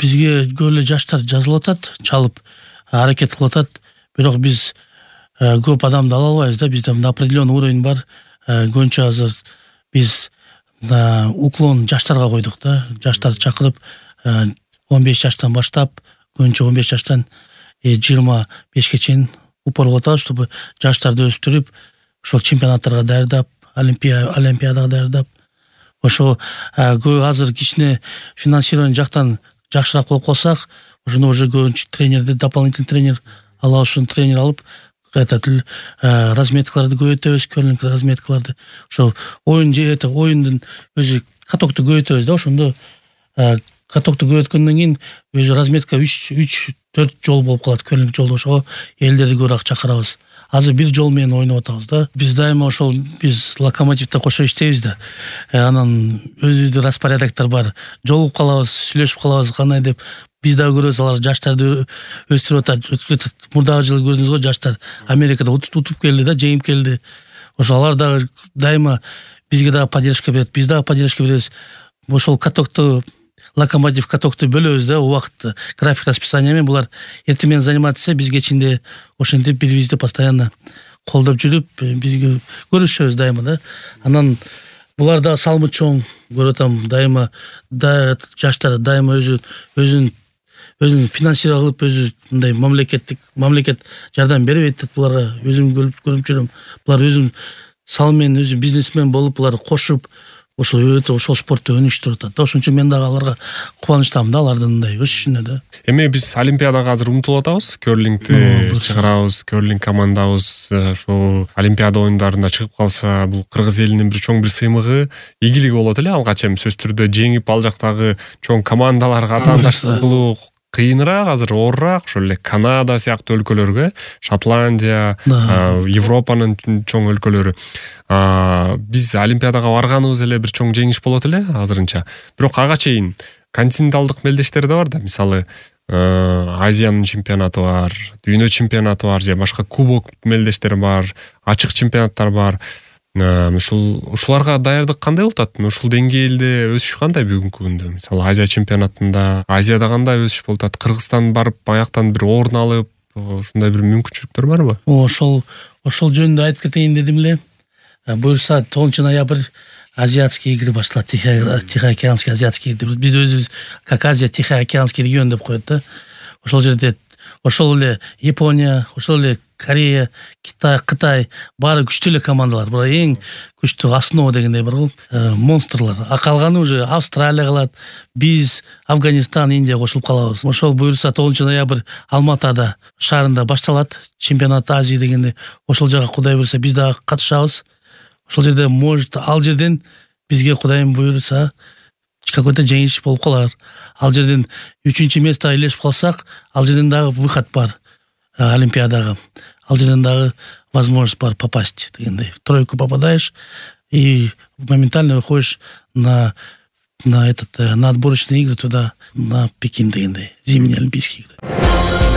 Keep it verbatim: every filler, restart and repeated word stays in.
бизге көп эле жаштар жазылып атат, чалып аракет кылып атат. Бирок биз көп адамды ала албайбыз да. Бизде определенный уровень бар. Көбүнчө азыр биз уклон жаштарга койдук да. Жаштарды чакырып он беш жаштан баштап, көбүнчө он беш жаштан жыйырма бешке чейин упор кылып атабыз, чтобы жаштарды өстүрүп, ошол чемпионаттарга даярдап, олимпиадага даярдап, ошо азыр кичине финансирование жактан жакшыраак болуп калсак, ошондо уже көбүнчө тренерди, дополнительный тренер ала ушун тренер алып, этот разметкаларды көбөйтөбүз, көрлинг разметкаларды. Ошо оюн же это оюндун өзү катокту көбөйтөбүз да, ошондо катокту көбөйткөндөн кийин өзү разметка үч төрт жол болуп калат, көрлинг жолдо. Ошого элдерди көбүрөөк чакырабыз. Азыр бир жол менен ойноп атабыз да. Биз дайыма ошол биз Локомотивде кошо иштейбиз да. Анан өзүбүздүн распорядоктор бар. Жолугуп калабыз, сүйлөшүп калабыз, кандай деп. Биз дагы көрөбүз, алар жаштарды өстүрүп атат. Мурдагы жылы көрдүңүз го, жаштар Америкада утуп келди да, жеңип келди. Ошо алар дагы дайыма бизге дагы поддержка берет, биз дагы поддержка беребиз. Ошол катокту, Локомотив катокту бөлөбүз да, убакыт, график расписание менен. Булар эртең менен заниматься, биз кечинде ошентип бири-бирибизди постоянно колдоп жүрүп, бизге көрүшөбүз дайыма да. Анан булар да салымы чоң, көрүп атам, дайыма да жаштар дайыма өзү өзүн өзүн финансировать кылып, өзү мындай мамлекеттик мамлекет жардам бербейт деп буларга өзүм көрүп жүрөм. Булар өзүн салым менен өзү бизнесмен болуп, булар кошуп ошол өтө ошол спортто өнүктүрүп атат да. Ошон үчүн мен дагы аларга кубанычтамын да, алардын мындай өсүшүнө да. Эми биз олимпиадага азыр умтулуп атабыз. Көрлингди чыгарабыз, көрлинг командабыз ошо олимпиада оюндарында чыгып калса, бул кыргыз элинин бир чоң бир сыймыгы, ийгилиги болот эле. Алгач эми сөзсүз түрдө жеңип ал жактагы чоң командаларга атаандаштык кылуу кыйыныраак, азыр оорураак. Ошол эле Канада сыяктуу өлкөлөргө, Шотландия, Европанын чоң өлкөлөрү. Биз олимпиадага барганыбыз эле бир чоң жеңиш болот эле азырынча. Бирок ага чейин континенталдык мелдештер да бар да. Мисалы, Азиянын чемпионаты бар, дүйнө чемпионаты бар, же башка кубок мелдештер бар, ачык чемпионаттар бар. Ушул ушуларга даярдык кандай болуп атат? Ушул деңгээлде өсүш кандай бүгүнкү күндө? Мисалы, Азия чемпионатында, Азияда кандай өсүш болуп атат? Кыргызстан барып, аяктан бир орун алып, ушундай бир мүмкүнчүлүктөр барбы? Ошол ошол жөнүндө айтып кетейин дедим эле. Буюрса тогузунчу ноябрь азиатские игры башталат, Тихоокеанский азиатский игры. Биз өзүбүз как Азия Тихоокеанский регион деп коет да. Ошол жерде ошол эле Япония, ошол эле Корея, Китай, Кытай баары күчтүү эле командалар. Бирок эң күчтүү основа дегендей бар го, монстрлар. А калганы уже Австралия калат, биз Афганистан, Индия кошулуп калабыз. Ошол буюрса тогузунчу ноябрь Алматада шаарында башталат чемпионат Азии дегенде. Ошол жака Кудай буйрса биз дагы катышабыз. Ошол жерде может ал жерден бизге Кудайым буйрса какой-то жеңиш болуп калар. Ал жерден үчүнчү местага илешип калсак, ал жерден дагы выход бар олимпиадага. Ал жерден дагы возможность бар попасть дегендей. В тройку попадаешь и моментально выходишь на на этот на отборочные игры туда, на Пекин дегендей, зимние олимпийские игры.